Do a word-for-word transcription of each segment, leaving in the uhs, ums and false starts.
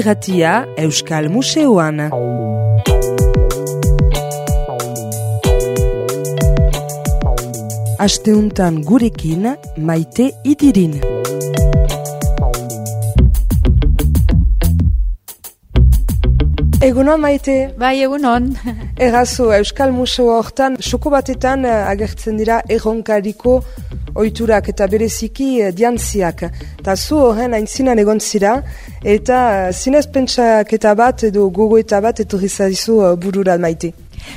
irratia Euskal Museoan. Asteuntan gurekin Maite Idirin. Egunon, Maite? Bai, egunon. Errazo, Euskal Museo hortan, soko batetan agertzen dira erronkariko oiturak eta bereziki diantziak. Ta zu horren aintzinan egon zira, eta zinez pentsaketa bat edo gogoeta bat etorri zaizu burura, Maite.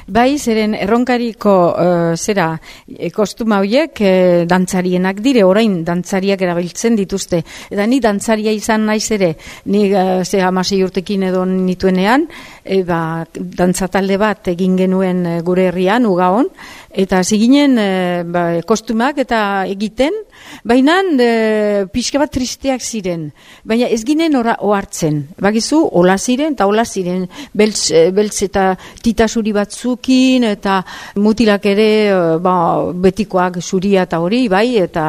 Bai, zeren erronkariko uh, zera e, kostuma horiek e, dantzarienak dire, orain dantzariak erabiltzen dituzte. Eta ni dantzaria izan naiz ere, ni uh, ze hamasei urtekin edo nituenean, e, ba, dantzatalde bat egin genuen e, gure herrian, Ugaon, eta ziginen e, ba, kostumak eta egiten, baina e, pixka bat tristeak ziren, baina ez ginen ora ohartzen. Bagizu, hola ziren eta hola ziren, beltz, beltz eta titasuri bat zukin eta mutilak ere ba, betikoak zuria eta hori, bai, eta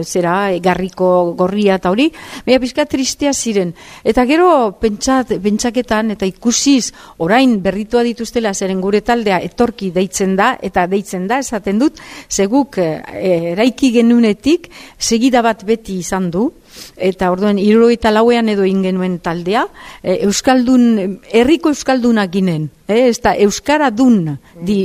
zera garriko gorria eta hori, baina pixka tristea ziren. Eta gero pentsat, pentsaketan eta ikusiz orain berritua dituztela zeren gure taldea etorki deitzen da, eta deitzen da, esaten dut, zeguk e, eraiki genunetik segida bat beti izan du, eta orduan hirurogeita lauean edo ingenuen taldea, e, Euskaldun, herriko Euskalduna ginen, e, ez da Euskara dun di,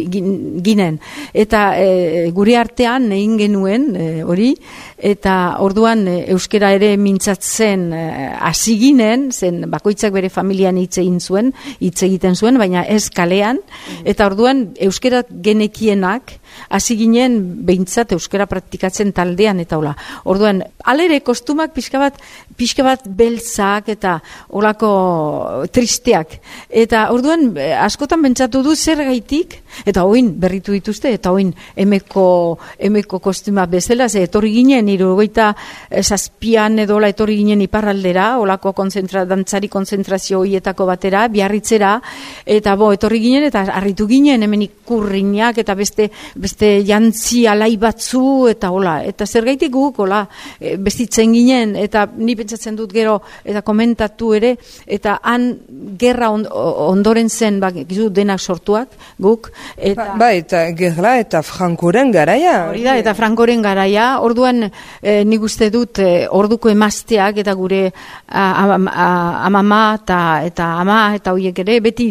ginen, eta e, gure artean egin genuen e, hori, eta orduan e, euskara ere mintzatzen hasi e, ginen, zen bakoitzak bere familian hitz egin zuen, hitz egiten zuen, baina ez kalean, eta orduan euskara genekienak hasi ginen behintzat euskara praktikatzen taldean eta hola. Orduan, alere kostumak pixka bat, pixka bat beltzak eta olako tristeak. Eta orduan, askotan pentsatu du zer gaitik, eta oin berritu dituzte, eta oin emeko, emeko kostuma bezala, ze etorri ginen, hirurogeita zazpian edola etorri ginen iparraldera, olako konzentra, dantzari konzentrazio hoietako batera, Biarritzera, eta bo, etorri ginen, eta harritu ginen, hemen ikurriñak, eta beste, beste jantzi alai batzu, eta hola, eta zer gaitik guk, hola, bestitzen ginen, eta ni pentsatzen dut gero, eta komentatu ere, eta han gerra on, ondoren zen, ba, gizu denak sortuak, guk, eta... Ba, ba eta gerra eta Frankoren garaia. Hori da, eta Frankoren garaia, orduan eh, nik uste dut eh, orduko emazteak, eta gure amama eta, eta ama, eta horiek ere, beti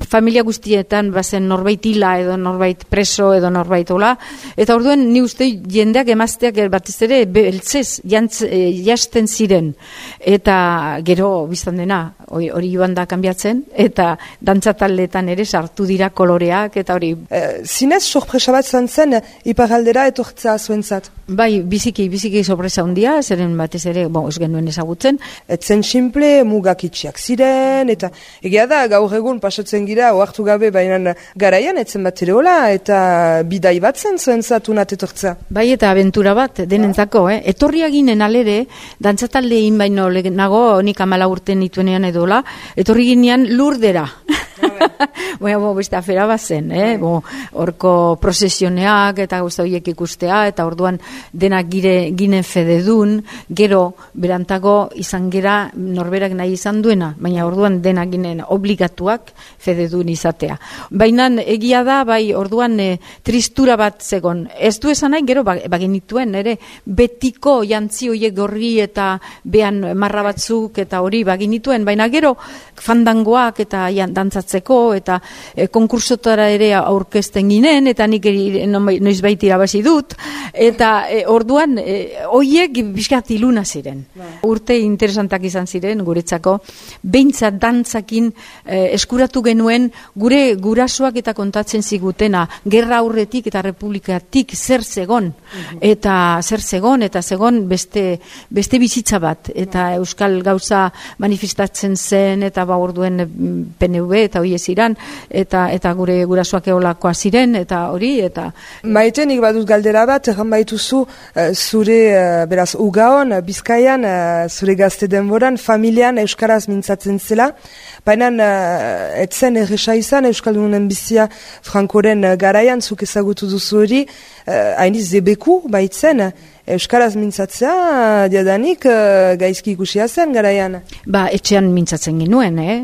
familia guztietan bazen norbait hila, edo norbait preso, edo norbait hola, eta orduan ni uste jendeak emazteak batez ere beltzez jantz, e, jasten ziren, eta gero biztan dena hori joan da kanbiatzen, eta dantzataldeetan ere sartu dira koloreak, eta hori... E, zinez sorpresa bat zan zen iparaldera etortzea zuentzat? Bai, biziki, biziki sorpresa handia, zeren batez ere, bon, ez genuen ezagutzen. Etzen simple, mugak itxiak ziren, eta egia da, gaur egun pasatzen gira, ohartu gabe, baina garaian etzen bat ere hola, eta bidai bat zen zuentzat unat etortzea. Bai, eta abentura bat, denentzako, eh? Etorria ginen alere, dantzataldein baino nago, nik amala urten nituenean edola, etorri ginean Lurdera. Baina, bo, beste afera bat zen, eh? Bo, orko prosesioneak eta guzti horiek ikustea, eta orduan denak gire, ginen fededun, gero berantago izan gera norberak nahi izan duena, baina orduan denak ginen obligatuak fededun izatea. Baina egia da, bai, orduan e, tristura bat zegon. Ez du esan nahi, gero bagenituen, ere, betiko jantzi horiek gorri eta behan marra batzuk eta hori bagenituen, baina gero fandangoak eta jan, dantzatzeko eta e, konkursotara ere aurkezten ginen, eta nik noiz baita irabazi dut, eta e, orduan e, hoiek bizkat iluna ziren. Ba. Urte interesantak izan ziren guretzako, behintzat dantzakin e, eskuratu genuen gure gurasoak eta kontatzen zigutena, gerra aurretik eta republikatik zer zegon, uh-huh. eta zer zegon, eta zegon beste, beste bizitza bat, eta uh-huh. euskal gauza manifestatzen zen, eta ba orduen P N V eta hori ziren, eta eta gure gurasoak eolakoa ziren, eta hori, eta... Maite, nik badut galdera bat, erran baituzu, uh, zure, uh, beraz, Ugaon, Bizkaian, uh, zure gazte denboran, familian euskaraz mintzatzen zela, baina uh, etzen erresa izan, euskaldunen bizia Frankoren uh, garaian, zuk ezagutu duzu hori, hainiz uh, zebeku baitzen, Euskaraz mintzatzea, diadanik, uh, gaizki ikusia zen garaian. Ba, etxean mintzatzen ginuen, eh?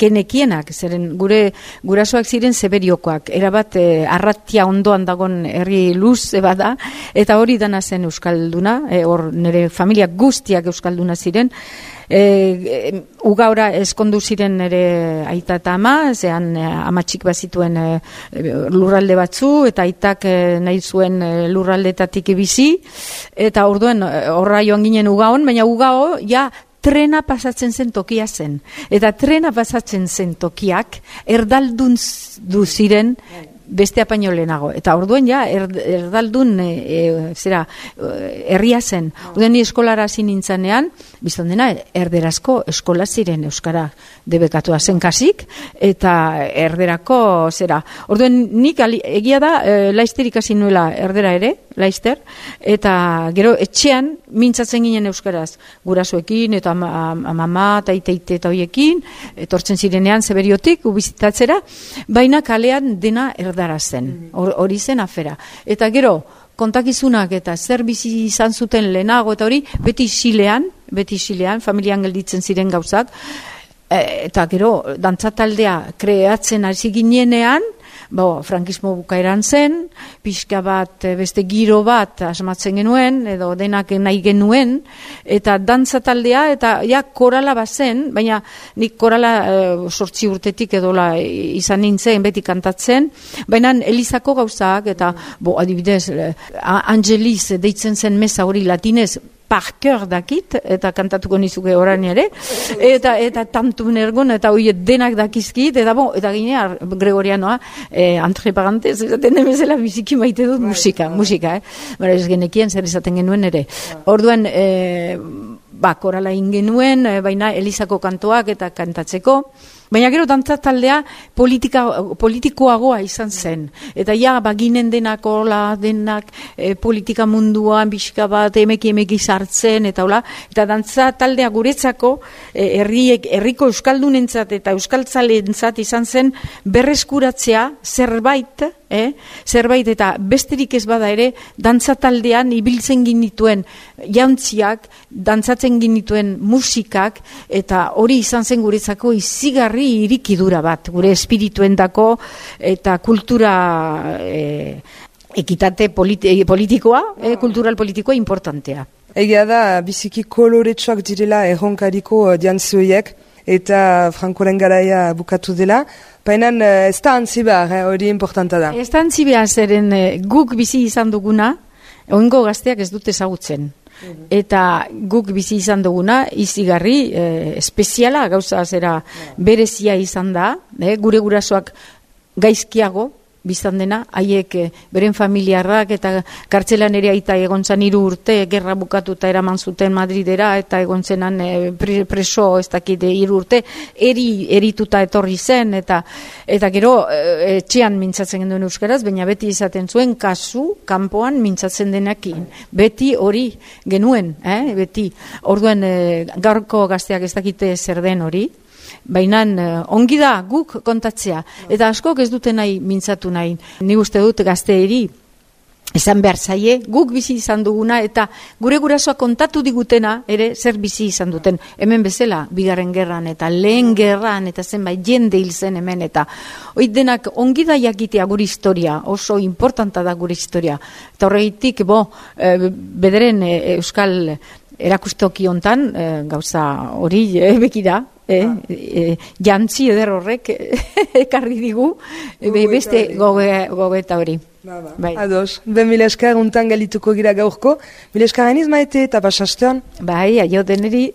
Genekienak, zeren gure gurasoak ziren zeberiokoak, erabat eh, arratia ondoan dagon herri luz eba da, eta hori dana zen euskalduna, hor eh, nire familia guztiak euskalduna ziren, E, e, ugaura eskondu ziren ere aita eta ama, zean e, amatxik bazituen e, lurralde batzu, eta aitak e, nahi zuen e, lurraldetatik bizi, eta orduen horra joan ginen ugaon, baina ugao ja trena pasatzen zen tokia zen. Eta trena pasatzen zen tokiak erdaldun du ziren beste apaino lehenago. Eta orduen ja, er, erdaldun e, e, zera, herria zen. Orduen ni eskolara hasi nintzanean, biztan dena, erderazko eskola ziren euskara debekatua zen kasik, eta erderako zera. Orduen nik ali, egia da, e, Laister ikasi nuela erdera ere, Laister, eta gero etxean mintzatzen ginen euskaraz, gurasoekin, eta mama, eta iteite eta hoiekin, etortzen zirenean zeberiotik, ubizitatzera, baina kalean dena erdara zen, hori zen afera. Eta gero, kontakizunak eta zer bizi izan zuten lehenago, eta hori, beti isilean, beti isilean, familian gelditzen ziren gauzak, eta gero, dantzataldea kreatzen hasi ginenean, bo, frankismo bukaeran zen, pixka bat, beste giro bat asmatzen genuen, edo denak nahi genuen, eta dantza taldea, eta ja, korala bazen, baina nik korala e, sortzi urtetik edola izan nintzen, beti kantatzen, baina Elizako gauzak, eta, bo, adibidez, Angeliz deitzen zen meza hori latinez, parker dakit, eta kantatuko nizuke orain ere, eta eta tantu nergon, eta hoi denak dakizkit, eta bo, eta ginea, Gregorianoa, eh, entre parantez, esaten demezela biziki maite dut musika, musika, eh? Bara ez genekien zer esaten genuen ere. Orduan, eh, ba, korala ingenuen, eh, baina Elizako kantoak eta kantatzeko, baina gero dantza taldea politika, politikoagoa izan zen. Eta ja, baginen denak hola, denak e, politika munduan, bizka bat, emeki emeki sartzen, eta hola, eta dantza taldea guretzako, e, herriek, herriko euskaldunentzat eta euskaltzalentzat izan zen berreskuratzea zerbait, eh? zerbait eta besterik ez bada ere, dantza taldean ibiltzen ginituen jauntziak, dantzatzen ginituen musikak, eta hori izan zen guretzako izigarri irikidura bat, gure espirituendako eta kultura e, ekitate politi politikoa, e, kultural politikoa importantea. Egia da, biziki koloretsuak direla erronkariko diantzioiek, eta Frankoren garaia bukatu dela, baina ez da antzi behar, hori importanta da. Ez da antzi behar zeren guk bizi izan duguna, oingo gazteak ez dute ezagutzen. Eta guk bizi izan duguna izigarri eh, espeziala gauza zera berezia izan da, eh, gure gurasoak gaizkiago biztan dena, haiek eh, beren familiarrak eta kartzelan ere aita egon zan hiru urte, gerra bukatuta eraman zuten Madridera, eta egon zenan eh, preso ez dakit hiru urte, eri, erituta etorri zen, eta eta gero eh, etxean mintzatzen genuen euskaraz, baina beti izaten zuen kasu, kanpoan mintzatzen denekin. Beti hori genuen, eh, beti. Orduan eh, gaurko gazteak ez dakite zer den hori, baina ongi da guk kontatzea, eta askok ez dute nahi mintzatu nahi. Ni uste dut gazteeri esan behar zaie, guk bizi izan duguna, eta gure gurasoak kontatu digutena ere zer bizi izan duten. Hemen bezala, bigarren gerran eta lehen gerran, eta zenbait jende hil zen hemen, eta hoi denak ongi da jakitea gure historia, oso importanta da gure historia. Eta horregitik, bo, e, bederen e, euskal erakustoki hontan, e, gauza hori e, bekida, E, e, jantzi eder horrek ekarri digu e, beste gogeta hori. Ba, ba. Bai. Ados, ben mila esker untan galituko gira gaurko, mila esker hainiz maite eta basastean. Bai, aio deneri.